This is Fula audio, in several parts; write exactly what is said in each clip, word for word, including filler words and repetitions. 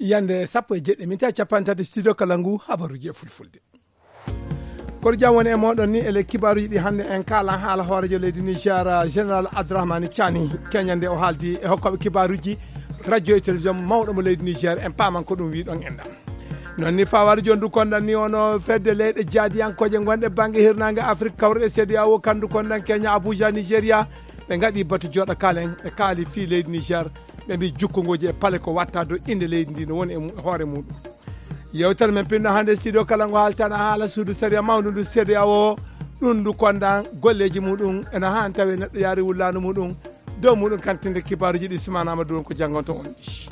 Yande sappo e jeɗɗi minti capanɗe tati, studio kala ngu habaruji e fulfulde. Kono jam woni e moɗon ni ele kibaruji ɗi hannde en kala haala hoorejo leydi Niger, Général Abdourahmane Tiani, keñande o haaldi e hokkoɓe kibaruji radio e télévision mawɗo mo leydi Niger, en paman ko ɗum wiɗon enɗa. Non ni fawari jondu kondan ni ono fedde leyɗe jaadiyankoje gonɗe bangge hirnange Afrique kawruɗe C D A O kandu kondan Kenya Abuja Nigeria. Ɓe ngaɗi batu joɗa kalen ɓe kaali fii leydi Niger. Ɓe mbi jukkongoji e pale ko watta do inde leydi ndi no woni e mu- hoore muɗum. Yewtere men pinno hannde studio kala ngo haaltana haala suudu sariya mawndu ndu C D A O. Ɗum ndu kondan golleji muɗum ena han tawi neɗɗo yaari wullanu muɗum. Dow muɗum kantinde kibaruji ɗi sumanama duwon ko janngonto on ɗi.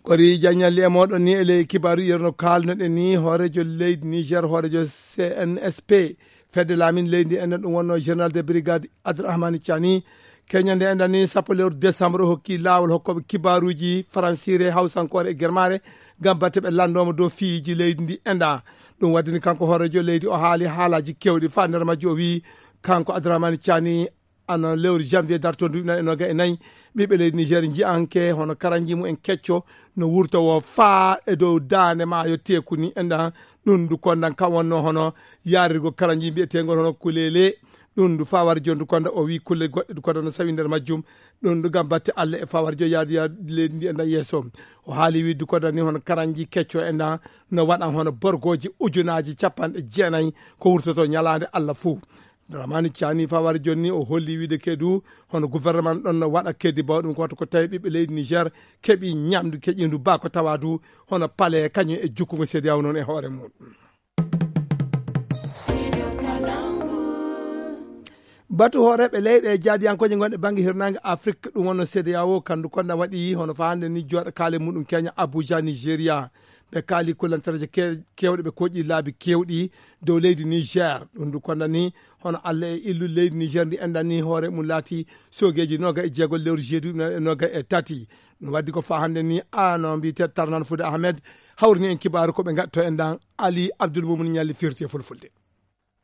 Kori jañalli e moɗon ni e ley kibaru yerno kalnoɗen ni hoorejo leydi Niger hoorejo C N S P fedde laamin leydi enen ɗum wonno général de brigade Abdourahmane Tiani. Keñande enɗan ni sappo lewru décembre o hokki laawol hokkoɓe kibaruji faransire hawsankore e germare ngam batte ɓe lanndoma dow fiiji leydi ndi enɗa. Ɗum waddini kanko hoorejo leydi o haali haalaji kewɗi fa nder majji o wi kanko Abdourahmane Tiani ano lewru janvier darto duuɓi nayi e noga e nayi ɓiɓɓe leydi Niger jiyanke hono karanji mumen kecco no wurta wo faa e dow daande maayo teeku ni enɗan. Ɗum ndu kondan kam wonno hono yarirgo karanji mbiyetengol hono kulele. Ɗum ndu fawar jondu konda o wi kulle goɗɗe du konda no sawi nder majjum. Ɗum ndu gam batte Allah e fawar jo yaadu yaadu leydi ndi enɗan yeeso. O haali wi du konda ni hono karanji kecco enɗan no waɗan hono borgoji ujunaji capanɗe jeenayi ko wurtoto ñalaande Allah fuu. Dramani Cani fawari jonni o holli wiide kedu hono gouvernement ɗon no waɗa kedi baw ɗum ko wata ko tawi ɓiɓɓe leydi Niger keɓi ñamdu keƴindu ba ko tawa du hono pale kañum e jukkugo C D A O noon e hoore muɗum. Batu hooreɓe leyɗe jaadiyankoje gonɗe bangge hirnange Afrique ɗum wonno C D A O kandu konda waɗi hono fa hande ni joɗa kaale muɗum Kenya Abuja Nigeria. Ɓe kaali kullantareeje ke- kewɗe ɓe koƴi laabi kewɗi dow leydi Niger. Ɗum ndu kondani hono Allah e illu leydi Niger ndi enɗan ni hoore mum laati soogeeji noga e jeego lewru jeedu noga e tati. Ɗum waddi ko fa hannde ni ano mbiyete Tarnan Fude Ahmed hawrini en kibaaru ko ɓe ngatto enɗan. Ali Abdul Mumin Ñalli firti e fulfulde.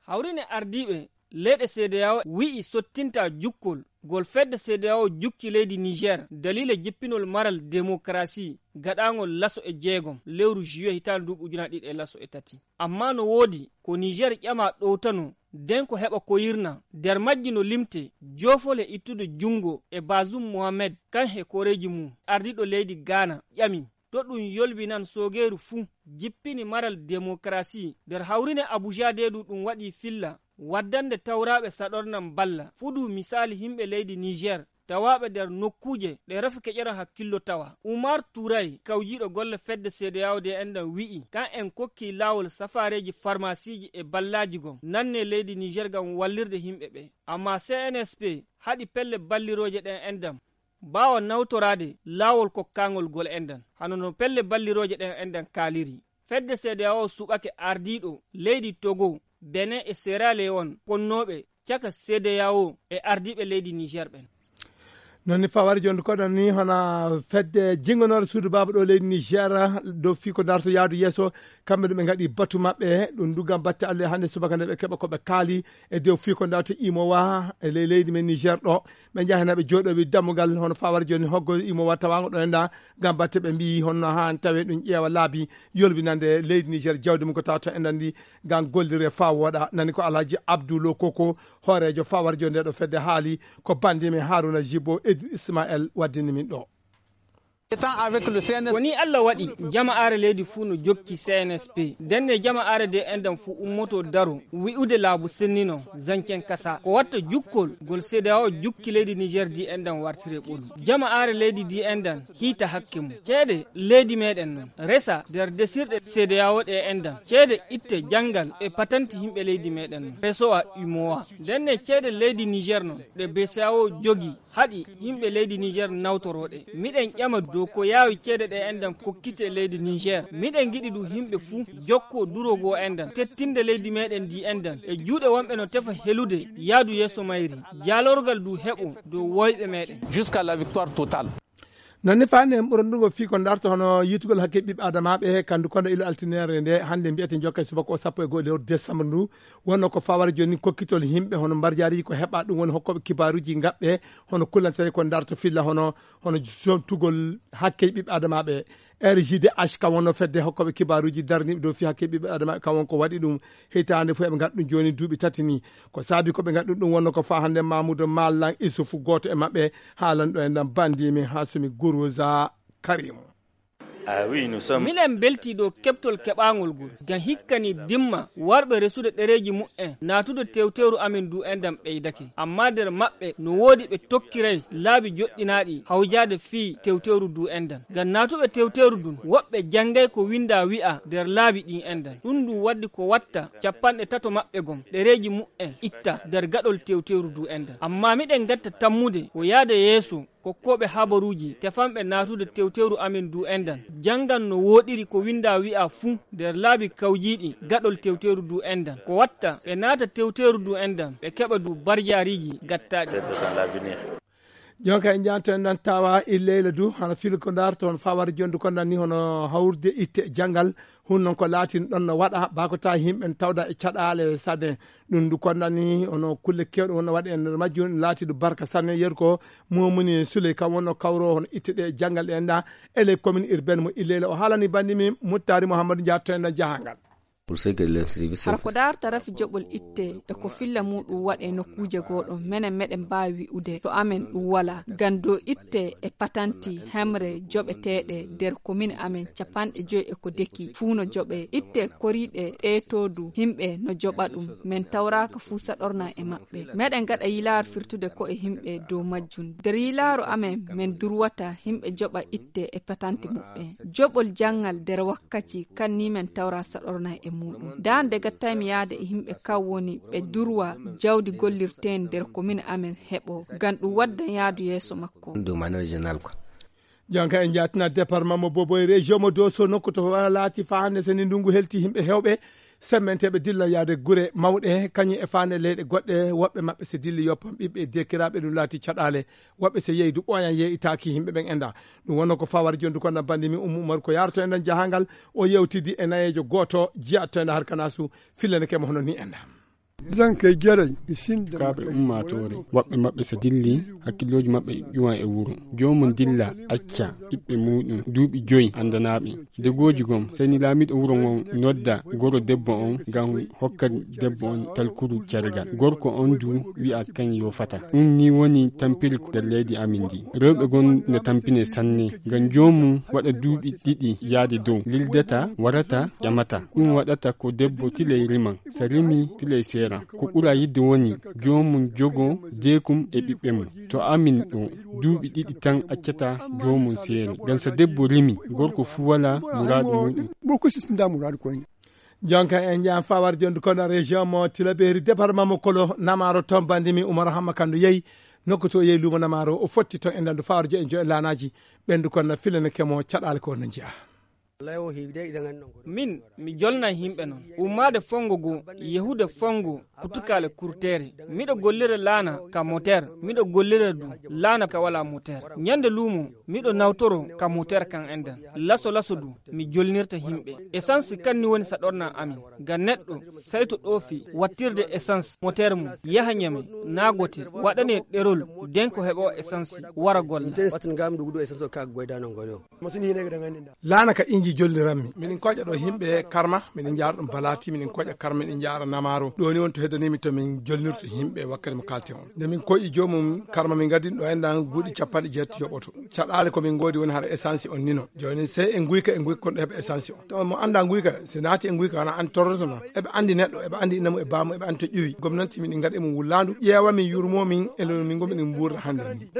Hawrine ardiiɓe leyɗe C D A O wi'i sottinta jukkol gol fedde C D A O jukki leydi Niger daliila jippinol maral demokarasi gaɗaangol laso e jeegom lewru juillet hitaande nduuɓi ujunaaji ɗiɗi e laso e tati. Amma no woodi ko Niger ƴama ɗowtano den ko heɓa koyirna nder majji no limte joofol e ittude junngo e Bazoum Mohamed kan he koreeji mum ardiiɗo leydi Ghana ƴami to ɗum yolbinan soogeeru fuu jippini maral demokarasi nder hawrine Abuja de du ɗum waɗi filla waddande tawraaɓe saɗornan balla fuu du misaali himɓe leydi Niger tawaaɓe nder nokkuuje ɗe rafi keƴeran hakkillo tawa. Umar Turay kawjiiɗo golle fedde C D A O de enɗan wi'i kan en kokki laawol safaareeji farmasiiji e ballaaji gom nanne leydi Niger ngam wallirde himɓe ɓe. Amma C N S P haɗi pelle ballirooje ɗen enɗan baawa nawtoraade laawol kokkaangol gol enɗan hano no pelle ballirooje ɗen enɗan kaaliri. Fedde C D A O suɓake ardiiɗo leydi Togo, Benin e Sierra Leone konnooɓe caka C D A O e ardiiɓe leydi Niger ɓen. Non ni fawari jonde koɗon ni hona fedde jingonore suudu baaba ɗo leydi Niger dow fii ko darto yaadu yeeso. Kamɓe ɗum ɓe ngaɗi batu maɓɓe ɗum du gam batte Allah hannde subaka nde ɓe keɓa ko ɓe kaali e dow fii ko darto imowa e ley leydi men Niger ɗo. Ɓe njaha hena ɓe jooɗowi dammugal hono fawari joni hoggo imowa tawango ɗo enda gam batte ɓe mbi honno han tawe ɗum ƴeewa laabi yolbinande leydi Niger jawdi mum ko tawata enɗan ndi gam gollire fa wooɗa. Nani ko Alhaji Abdou Lo Koko hoorejo fawari joni nde ɗo fedde haali ko bandi men Haruna Jibo Edou Ismaël waddini min ɗo. Ko ni Allah waɗi jama'aare leydi fuu no jokki C N S P. Ndenne jama'aare de enɗan fuu ummoto daro wi'ude laabu sennino zancen kasa ko watta jukkol gol C D A O jukki leydi Niger di enɗan wartire ɓolu. Jama'aare leydi di enɗan hiita hakke mum. Ceede leydi meɗen non resa nder desirɗe C D A O ɗe enɗan. Ceede itte janngal e patanti himɓe leydi meɗen non resowa umowa. Ndenne ceede leydi Niger non ɗe B C A O jogi haɗi yimɓe leydi Niger nawtorooɗe. Miɗen ƴama dow ko yaawi ceede ɗe enɗan kokkite leydi Niger. Miɗen giɗi du yimɓe fuu jokkoo durogoo enɗan tettinde leydi meɗen ndi enɗan e juuɗe wonɓe no tefa helude yaadu yeeso mayri. Jaalorgal du heɓo dow woyɓe meɗen. Jusqu'à la victoire totale. Noon ne faande en ɓurondungo fii ko ndarto hono yiytugol hakke ɓiɓɓe adamaaɓe, kandu kono ilo altineere nde hannde mbiyete njokka e subaka o sappo e go'o lewru décembre ndu. Wonno ko fawara jooni kokkitol yimɓe hono mbarjaari ko heɓa ɗum woni hokkooɓe kibaaruuji ngaɓɓe hono kullantene ko ndarto filla hono, hono somtugol hakke ɓiɓɓe adamaaɓe. R J D H kam wonno fedde hokkooɓe kibaaruuji darniiɓe dow fii hakke ɓiɓɓe adamaaɓe kam won ko waɗi ɗum hitaande fof eɓe ngaɗa ɗum jooni duuɓi tati ni. Ko saabi ko ɓe ngaɗa ɗum wonno ko faa hannde Mamoudou Malang Issoufou gooto e maɓɓe haalan ɗo e ndam banndi min Hassoumi Gourouza Karim. Miɗen mbeltii ɗo keɓtol keɓaangol ngol, ngam hikka nii dimma warɓe resude ɗereeji muɓɓen naatude tewteeru amen ndu enɗan ɓeydake. Ammaa nder maɓɓe no woodi ɓe tokkiray laabi joɗɗinaaɗi hawjaade fii tewteeru ndu enɗan. Ngam naatuɓe tewteeru ndun, woɓɓe janngay ko winndaa wi'aa nder laabi ɗin enɗan. Ɗun ɗun waddi ko watta cappanɗe tato maɓɓe gom ɗereeji muɓɓen itta nder gaɗol tewteeru ndu enɗan. Ammaa miɗen ngatta tammude ko yaade yeeso kokkooɓe habaruuji tefanɓe naatude tewteeru amen ndu enɗan, janngan no wooɗiri ko winndaa wi'aa fuu nder laabi kawjiiɗi gaɗol tewteeru ndu enɗan. Ko watta ɓe naata tewteeru ndu enɗan, ɓe keɓa ndu barjaariiji gattaaɗi. Jonka en njanto en nan tawa e leyla du hano fil ko ndarto hono fawar jondu kon nan ni hono hawrude itte janngal. Hun noon ko laatin ɗon no waɗa baa ko tawi yimɓe ne tawda e caɗaale sanne. Ɗum ndu kon nan ni hono kulle kewɗe wonno waɗe e nder majjum, ɗum laati ɗum barka sanne. Yeru ko momuni suley kam wonno kawro hono itte ɗe janngal ɗe enɗa e ley commune urbaine mo illeyla o haalani banndi min muttari mouhamadou njaar to enɗan jahangal. Hara ko daarta rafi joɓol itte e ko filla muɗum waɗe nokkuuje goo ɗon, menen meɗen mbaawi wi'ude to amen ɗum walaa. Ngam dow itte e patanti hemre joɓeteeɗe nder komin amen capanɗe joy e ko deki fuu no joɓe. Itte koriiɗe ɗee too du himɓe no joɓa ɗum. Men tawraaka fuu saɗorna e maɓɓe. Meɗen ngaɗa yilaaru firtude ko'e himɓe dow majjum. Nder yilaaru amen men durwata himɓe joɓa itte e patanti muɓɓen. Joɓol janngal nder wakkaci kan ni men tawra saɗorna e muɗum. Ndaa nde gattaymi yaade e himɓe kan woni ɓe durwa jawdi gollirteendi nder komin amen heɓo ngam ɗum waddan yaadu yeeso makko. Jonka en njaatina département mo Boboy, région mo Dosso, nokku to wona laati faa hannde so ni ndungu helti yimɓe heewɓe semmenteeɓe dilla yaade gure mawɗe kañum e faande leyɗe goɗɗe. Woɓɓe maɓɓe so dilli yoppam ɓiɓɓe e deekiraaɓe ɗum laati caɗaale. Woɓɓe so yeeyi du ɓooyan yeeyitaaki yimɓe ɓen enda. Ɗum wonno ko fawar jondu kon na banndi mi Ummu Umar ko yaroto enɗan jahangal. O yewtidi e nayeejo gooto jiyatto enda harkanasu fillene kemo hono ni enda. Kaaɓe ummaatoore, woɓɓe maɓɓe so dilli, hakkillooji maɓɓe ƴuwan e wuro. Joomum dilla acca ɓiɓɓe muuɗum duuɓi joyi anndanaaɓe. Degooji gom, sey ni laamiiɗo wuro ngon nodda goro debbo on ngam hokka debbo on talkuru cargal. Gorko on du wi'a kan yo fata. Ɗum ni woni tampiri ko nder leydi amin ndi. Rewɓe gon no tampine sanne. Ngam joomum waɗa duuɓi ɗiɗi yaade dow, lildata, warata, ƴamata. Ɗum waɗata ko debbo tilay riman. So rimi tilay seeran. Ko ɓura yidde woni joomum jogo deekum e ɓiɓɓe mum. To amin ɗo, duuɓi ɗiɗi tan accata joomum seere. Ngam so debbo rimi, gorko fuu walaa muraadu muuɗum. Jonka en njaan fawar jondu kono région mo Tilaberi, département mo Kolo, Namaro, toon banndi mi Umar Hamma Kandu yehi nokku to yehi luumo Namaro, o fotti toon e ndandu fawar jo en jo e laanaaji. Ɓendu kon na filene kemo caɗaale ko no njiya. Min mi jolna yimɓe non, ummaade fonngo goo, yehude fonngo kutukaale kurteere. Miɗo gollira laana ka moteer, miɗo gollira du laana ka walaa moteer. Ñande luumo miɗo nawtoro ka moteer kan enɗan. Laso laso du mi jolnirta yimɓe. Essence kan ni woni saɗorna amin. Ga neɗɗo sayto ɗoofi wattirde essence moteer mum, yaha Ñame, naagote, waɗane ɗerol, den ko heɓo essence, wara golla. Laana ka inji jolliranmi. Miɗen koƴa ɗo yimɓe Karma, miɗen njaara ɗum Balati, miɗen koƴa Karma, miɗen njaara Namaro. Ɗo ni woni to heddanimi to min jolnirto yimɓe wakkati mo kalten on. Nde min koƴi joomum Karma, min ngaddi ɗo enɗan guuɗi capanɗe jeetati yoɓoto. Caɗaale ko min ngoodi woni hara essence on nino. Jooni sey e nguyka, e nguyka kon ɗo heɓa essence on. To mo annda nguyka, si naati e nguyka, wona an torroto non. Eɓe anndi neɗɗo, eɓe anndi inna mum e baa mum, eɓe anndi to ƴuwi. Gomnanti min ngadi e mum wullaandu, ƴeewa min, yurmoo min, e lo min ngoni min mbuurra hannde ni.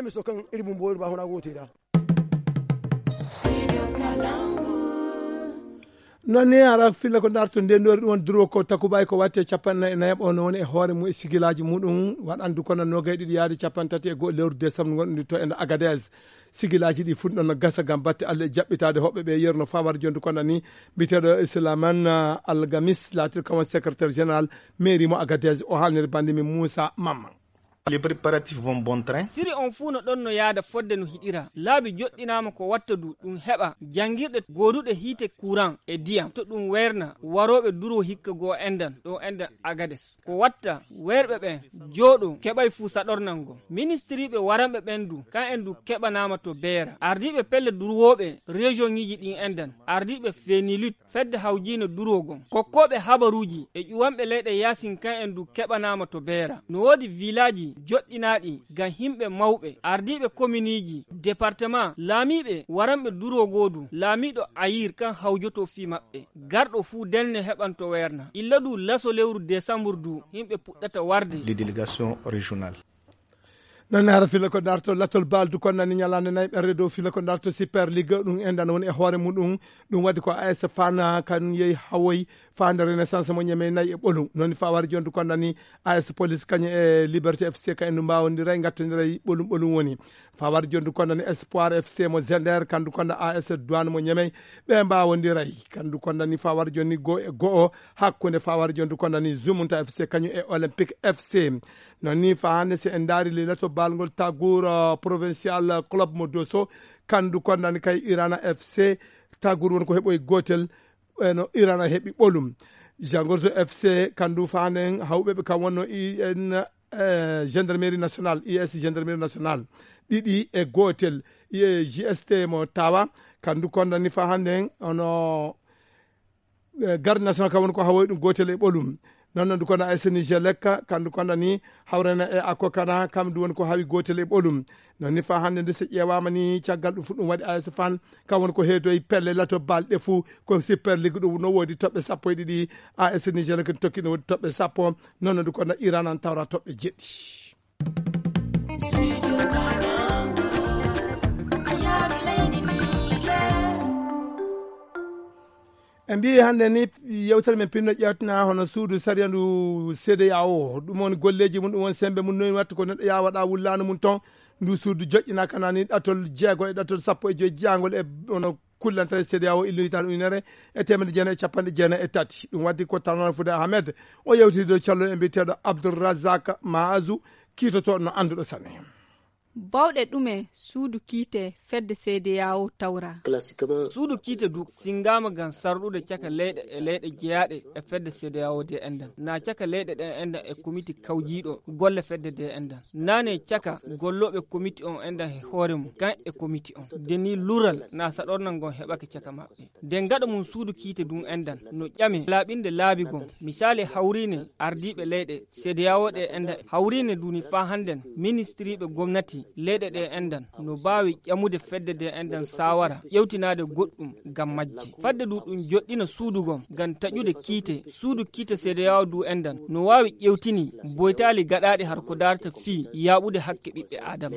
Noon ni ara filla ko darto ndendori ɗum woni duro ko takubaay ko watte capanɗe nayi e nayaɓo no woni e hoore mum e sigilaaji muɗum waɗandu kono nogay ɗiɗi yaade capanɗe tati e go'o lewru décembre gonɗundi to e nder Agadez. Sigilaaji ɗi fuɗɗi ɗon no gasa ngam batte Allah e jaɓɓitaade hoɓɓe ɓe yerno fawar jondu kono ni mbiyeteeɗo Islaman Algamis laatir kam woni secrétaire général mairie mo Agadez o haalniri banndi min Moussa Mamman. Les préparatifs vont bon train. Siri on fuu no ɗon no yaada fodde no hiɗira. Laabi joɗɗinaama ko watta du ɗum heɓa janngirɗe gooduɗe hiite kuran e diyam to ɗum weerna warooɓe duro hikka goo endan ɗo endan Agades. Ko watta weerɓe ɓen jooɗo keɓay fuu saɗornan ngon. Ministiriiɓe waranɓe ɓen du, kan en du keɓanaama to beera. Ardiiɓe pelle durwooɓe rejoŋiiji ɗin endan, ardiiɓe Fenilut, fedde hawjiino durwo gon. Kokkooɓe habaruuji e ƴuwanɓe leyɗe yaasin kan en du keɓanaama to beera. No woodi vilaaji joɗɗinaaɗi ngam himɓe mawɓe, ardiiɓe kominiiji, departemaa, laamiiɓe waranɓe durwo goo du, laamiiɗo Ayir kan hawjoto fii maɓɓe. Garɗo fuu delne heɓan to weerna. Illa du laso lewru desambur du, himɓe puɗɗata warde. Les délégations régionales. Noon ne hara fila ko darto latol baldu kon nani ñalaande nayi ɓerre dow fila ko darto Super Ligue ɗum enɗan woni e hoore muɗum. Ɗum waɗi ko A S Fan kan yehi hawoy faande Renaissance mo ñeme nayi e ɓolum. Noon fawari jondu kon nani A S Police kañum e Liberté F C ka en mbawondiray ngattondiray ɓolum ɓolum woni. Fawari jondu kon nani Espoir F C mo Zender kandu kon A S Douane mo ñeme ɓe mbawondiray. Kandu kon nani fawari jonni go e go'o hakkunde fawari jondu kon nani Zumunta F C kañum e Olympique F C. Noon ni faa hannde, si en ndaari lilato baalngol Tagour, uh, Provincial Club mo Dosso, kandu kon nani kay Irana F C, Tagour woni ko heɓoy gootel, eno Irana heɓi ɓolum. Jangorzo F C, kandu faa hannde, hawɓe ɓe kam wonno I N, eh, Gendarmerie Nationale, I S Gendarmerie Nationale, ɗiɗi e gootel, eh, J S T mo Tawa, kandu kon nani faa hannde, ono eh, Garde Nationale kam woni ko hawoy ɗum gootel e ɓolum. Noon noon du kono A S Niger lekka, kandu kono ni hawrena e Akokana, kam du woni ko hawi gootel e ɓolum. Noon ni faa hannde ndu so ƴeewaama ni caggal ɗum fof ɗum waɗi A S Fan, kam woni ko heedoy pelle lato balɗe fuu ko Super Ligue ɗum no woodi toɓɓe sappo e ɗiɗi, A S Niger lekka tokki no woodi toɓɓe sappo, noon noon du kono Iran an tawra toɓɓe jeɗɗi. En mbiyi hannde ni yewtere men pinno ƴeewtina hono suudu sariya ndu C D A O. Ɗum woni golleeji mum, ɗum woni semmbe mum, noy watta ko neɗɗo yaa waɗa wullaano mum toon. Ndu suudu joƴƴinaaka nani ɗatol jeego e ɗatol sappo e joy jeyangol e ono kullantare C D A O illinitaano ujunere e teemedde jeenayi e capanɗe jeenayi e tati. Ɗum waɗi ko Tanor Fude Ahmed o yewtidi dow calluɗo e mbiyeteeɗo Abdoul Razak Maazu, kiitotooɗo no annduɗo sane. Bawɗe ɗume suudu kiite fedde C D A O tawra? Suudu kiite du sinngaama ngam sarɗude caka leyɗe e leyɗe jeyaaɗe e fedde C D A O de enɗan, naa caka leyɗe ɗen enɗan e komiti kawjiiɗo golle fedde de enɗan, naa ne caka gollooɓe komiti on enɗan e hoore mum, kan e komiti on. De ni lural naa saɗornal ngon heɓake caka maɓɓe. Nden gaɗa mum suudu kiite dun enɗan no ƴame laaɓinde laabi gon. Misaali hawriine ardiiɓe leyɗe C D A O ɗe enɗan hawriine duni faa hannden ministiriiɓe gomnati leyɗe ɗe enɗan no baawi ƴamude fedde de enɗan saawara ƴewtinaade goɗɗum ngam majje. Fadde du ɗum joɗɗina suudu gon ngam taƴude kiite, suudu kiite C D A O du enɗan no waawi ƴewtini boytaali gaɗaaɗi har ko daarta fii yaaɓude hakke ɓiɓɓe Aadama.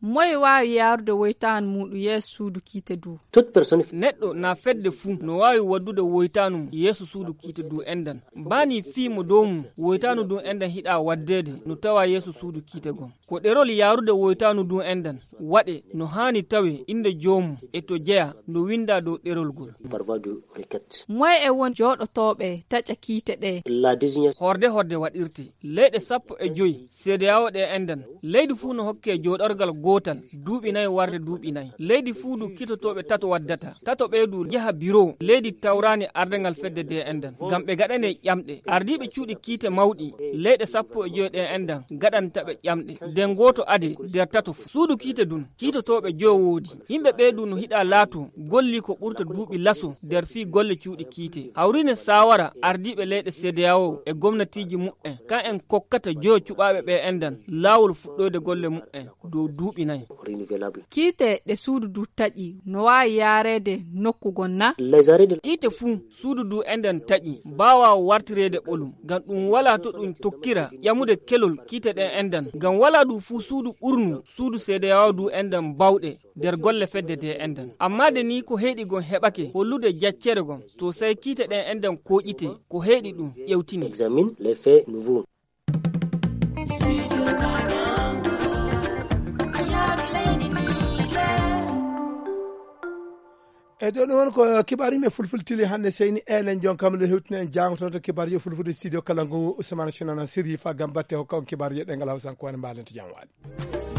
Moye waawi yaarude woytaanu muuɗum yeeso suudu kiite du? Neɗɗo naa fedde fuu no waawi waddude woytaanu mum yeeso suudu kiite du enɗan. Baa nii fii mo dow mum woytaanu du enɗan hiɗaa waddeede no tawaa yeeso suudu kiite gon. Ko ɗerol yaarude woytaanu du enɗan waɗe no haani tawee innde joomum e to jeyaa no winndaa dow ɗerol gol. Moye e won jooɗotooɓe taƴa kiite ɗe? Horde horde waɗirte. Leyɗe sappo e joy C D A O ɗe enɗan, leydi fuu no hokkee jooɗorgal gootal duuɓi nay warde duuɓi nay. Leydi fuu du kiitotooɓe tato waddata. Tato ɓee du njaha biro leydi tawraani ardangal fedde de enɗan, ngam ɓe gaɗanee ƴamɗe. Ardiiɓe cuuɗi kiite mawɗi leyɗe sappo e joy ɗe enɗan gaɗanta ɓe ƴamɗe. Nden gooto ade nder tato fuu. Suudu kiite dun, kiitotooɓe joyo woodi. Yimɓe ɓee du no hiɗaa laatoo gollii ko ɓurta duuɓi laso nder fii golle cuuɗi kiite. Hawriine saawara ardiiɓe leyɗe C D A O e gomnatiiji muɓɓen, kan en kokkata joyo cuɓaaɓe ɓe enɗan laawol fuɗɗoyde golle muɓɓen dow duuɓi nay. Kiite ɗe suudu du taƴi no waawi yaareede nokku gon na? Kiite fuu suudu du enɗan taƴi baawaa wartireede ɓolum, ngam ɗum walaa to ɗum tokkira ƴamude kelol kiite ɗen enɗan, ngam walaa du fuu suudu ɓurnu suudu C D A O du enɗan bawɗe nder golle fedde de enɗan. Amma de ni ko heyɗi gon heɓake hollude jaccere gon, to say kiite ɗen enɗan kooƴite ko heyɗi ɗum ƴewtini. Examine les faits nouveaux. E ɗo ɗum woni ko kibaar yimɓe fulfulde tili hannde, seyni enen jon kam le hewtino en jaangototo kibaar yo fulfulde studio kala ngu, Ousmane Sinana Sirifa Gambatte hokka on kibaar yo ɗengal Hawsankoore mbaalente jam waali.